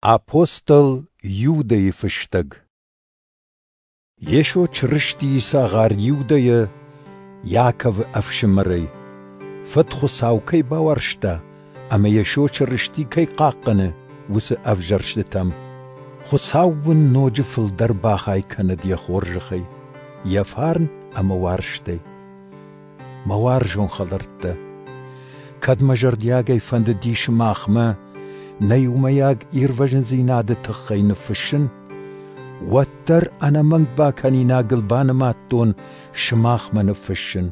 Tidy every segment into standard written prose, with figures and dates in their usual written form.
Апостол Иудӕйы фыстӕг. Йесо Чырыстийы цагъар Иудӕйӕ, Иаковы ӕфсымӕрӕй, Фыд Хуыцау кӕй бауарзта ӕмӕ Йесо Чырысти кӕй хъахъхъӕны, уыцы ӕвзӕрстытӕм. Хуыцау уын ноджы фылдӕр бахай кӕнӕд йӕ хорзӕхӕй, йӕ фарн ӕмӕ уарзтӕй. Мӕ уарзон хӕлӕрттӕ, кӕд мӕ зӕрдиагӕй фӕндыди сымахмӕ нӕ иумӕйаг ирвӕзындзинады тыххӕй ныффыссын, уӕддӕр ӕнӕмӕнг бакӕнинагыл банымадтон сымахмӕ ныффыссын,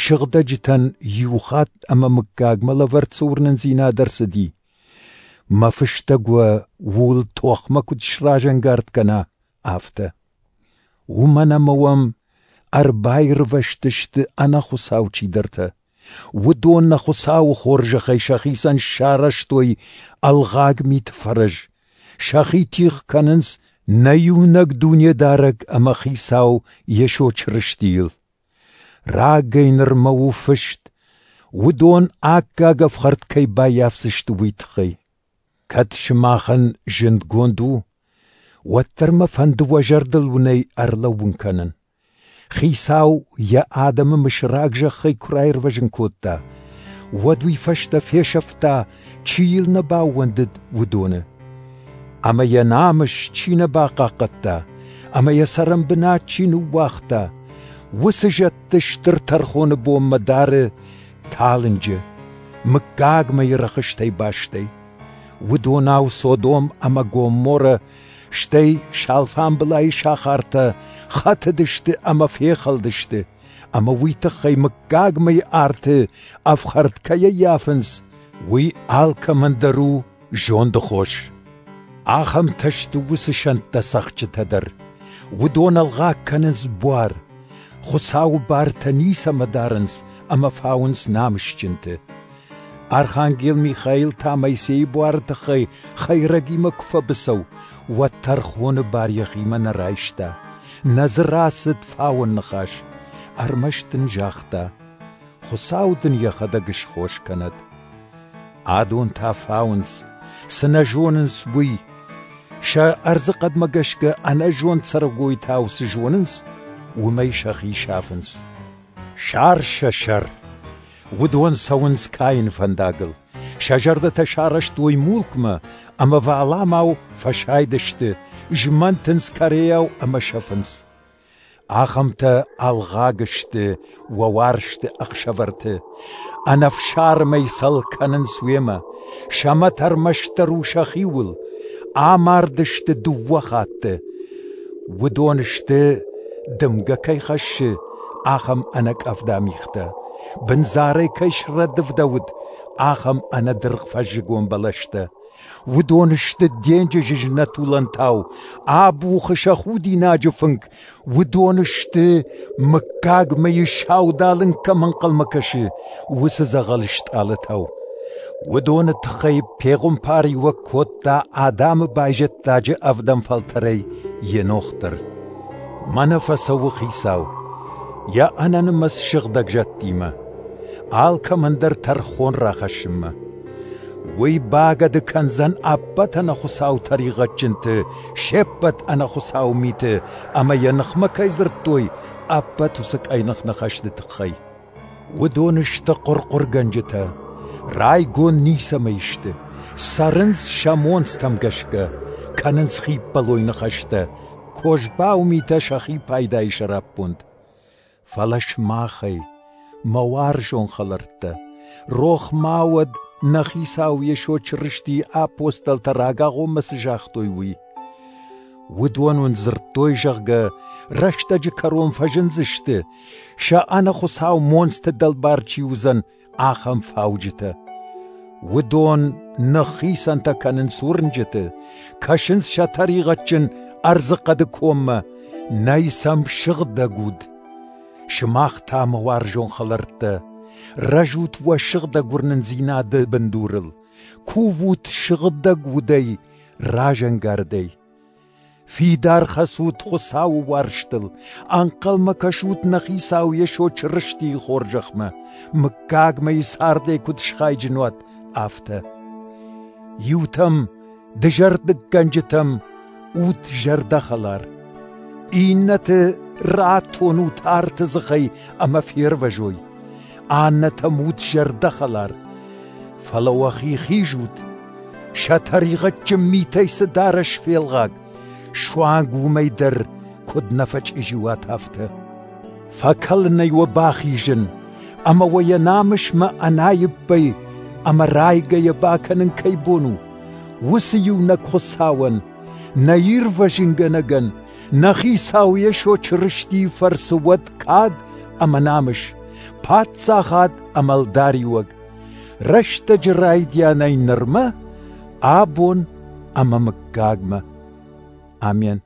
сыгъдӕджытӕн иу хатт ӕмӕ мыггагмӕ лӕвӕрд цы уырнындзинад ӕрцыди, мӕ фыстӕг уӕ ууыл тохмӕ куыд сразӕнгард кӕна, афтӕ. Уымӕн ӕмӕ уӕм ӕрбаирвӕзтысты ӕнӕхуыцау чидӕртӕ. Уыдон нӕ Хуыцауы хорзӕхӕй сӕхицӕн сарӕзтой ӕлгъаг миты фӕрӕз, сӕхи тигъ кӕнынц нӕ иунӕг Дунедарӕг ӕмӕ Хицау Йесо Чырыстийыл. Рагӕй нырмӕ у фыст, уыдон аккаг ӕфхӕрд кӕй баййафдзысты, уый тыххӕй. Кӕд сымахӕн зындгонд у, уӕддӕр мӕ фӕнды уӕ зӕрдыл уын ӕй ӕрлӕууын кӕнын. Хицау йӕ адӕмы мысыраг зӕххӕй куы раирвӕзын кодта, уӕд уый фӕстӕ фесӕфта, чи йыл нӕ баууӕндыд, уыдоны. Ӕмӕ йӕ намыс чи нӕ бахъахъхъӕдта ӕмӕ йӕ цӕрӕнбынат чи ныууагъта, уыцы зӕдты стыр тӕрхоны бонмӕ дары талынджы, мыггагмӕйы рӕхыстӕй бастӕй. Уыдонау Содом ӕмӕ Гомморӕ, стӕй Салфамбылайы сахартӕ хӕтыдысты ӕмӕ фехӕлдысты, ӕмӕ уый тыххӕй мыггагмӕйы арты ӕфхӕрд кӕй ӕййафынц, уый алкӕмӕн дӕр у зонды хос. Ахӕмтӕ сты уыцы сӕнттӕ цӕхджытӕ дӕр. Уыдон ӕлгъаг кӕнынц буар, Хуыцауы бартӕ ницӕмӕ дарынц ӕмӕ фауынц намысджынты. Архангел Михаил та Моисейы буары тыххӕй хӕйрӕгимӕ куы фӕбыцӕу, уӕд тӕрхоны бар йӕхимӕ нӕ райста, нӕ дзы рацыд фауӕн ныхас, ӕрмӕст ын загъта: Хуыцау дын йӕхӕдӕг схос кӕнӕд. Адон та фауынц, цы нӕ зонынц, уый. Сӕ ӕрдзыхъӕдмӕ гӕсгӕ ӕнӕзонд цӕрӕгойтау цы зонынц, уымӕй сӕхи сафынц. Сар сӕ сӕр. Уыдон цӕуынц Каины фӕндагыл. Сӕ зӕрдӕтӕ сарӕзтой мулкмӕ ӕмӕ Валаамау фӕсайдысты, змӕнтынц Корейау ӕмӕ сӕфынц. Ахӕмтӕ ӕлгъаг сты уӕ уарзты ӕхсӕвӕрты, ӕнӕфсармӕй цӕл кӕнынц уемӕ, сӕ мӕт ӕрмӕстдӕр у сӕхиуыл, амардысты дыууӕ хатты. Уыдон сты, дымгӕ кӕй хӕссы, ахӕм ӕнӕкъӕвда мигътӕ, бындзарӕй кӕй срӕдывдӕуыд, ахӕм ӕнӕдыргъ фӕззыгон бӕлӕстӕ. Уыдон сты денджызы знӕт уылӕнтау, абухы сӕ худинаджы фынг. Уыдон сты, мыггагмӕйы саудалынг кӕм ӕнхъӕлмӕ кӕсы, уыцы дзӕгъӕл стъалытау. Уыдоны тыххӕй пехуымпариуӕг кодта Адамы байзӕддаджы ӕвдӕм фӕлтӕрӕй Енох дӕр. Мӕнӕ фӕцӕуы Хицау, йӕ ӕнӕнымӕц сыгъдӕг зӕдтимӕ, алкӕмӕн дӕр тӕрхон рахӕссынмӕ. Уый багӕды кӕндзӕн ӕппӕт ӕнӕхуыцау тӕригъӕдджынты се ппӕт ӕнӕхуыцау миты ӕмӕ йӕ ныхмӕ кӕй дзырдтой, ӕппӕт уыцы къӕйных ныхӕсты тыххӕй. Уыдон сты хъуырхъуыргӕнджытӕ, райгонд ницӕмӕй сты, цӕрынц сӕ монцтӕм гӕсгӕ, кӕнынц хиппӕлой ныхӕстӕ, козбау митӕ сӕхи пайдайы сӕраппонд. Фӕлӕ сымахӕй, мӕ уарзон хӕлӕрттӕ, рох ма уӕд, нӕ Хицау Йесо Чырыстийы апостолтӕ рагагъоммӕ цы загътой, уый. Уыдон уын дзырдтой, зӕгъгӕ, рӕстӕджы кӕрон фӕзындзысты, сӕ ӕнӕхуыцау монцты дӕлбар чи уыдзӕн, ахӕм фауджытӕ. Уыдон ныххицӕнтӕ кӕнынц уырнджыты, кӕсынц сӕ тӕригъӕдджын ӕрдзыхъӕды коммӕ, нӕй сӕм сыгъдӕг уд. Сымах та, мӕ уарзон хӕлӕрттӕ, рӕзут уӕ сыгъдӕг уырнындзинады бындурыл, кувут сыгъдӕг удӕй, разӕнгардӕй. Фидар хӕцут Хуыцауы уарзтыл, ӕнхъӕлмӕ кӕсут нӕ Хицау Йесо Чырыстийы хорзӕхмӕ, мыггагмӕйы цардӕй куыд схайджын уат, афтӕ. Иутӕм Дызӕрдыггӕнджытӕм ут зӕрдӕхӕлар. Иннӕты ратонут арты дзыхӕй ӕмӕ фервӕзой. Аннӕтӕм ут зӕрдӕхӕлар. Фӕлӕ уӕхи хизут, сӕ тӕригъӕдджын митӕй цы дарӕс фелгъаг, суанг уымӕй дӕр куыд нӕ фӕчъизи уат, афтӕ. Фӕкӕлынӕй уӕ бахизын ӕмӕ уӕ йӕ намысмӕ ӕнаиппӕй ӕмӕ райгӕйӕ бакӕнын кӕй бон у, уыцы иунӕг Хуыцауӕн, нӕ Ирвӕзынгӕнӕгӕн, нӕ Хицау Йесо Чырыстийы фӕрцы уӕд кад ӕмӕ намыс, паддзахад ӕмӕ ӕлдариуӕг, рӕстӕджы райдианӕй нырмӕ, абон ӕмӕ мыггагмӕ. Амен.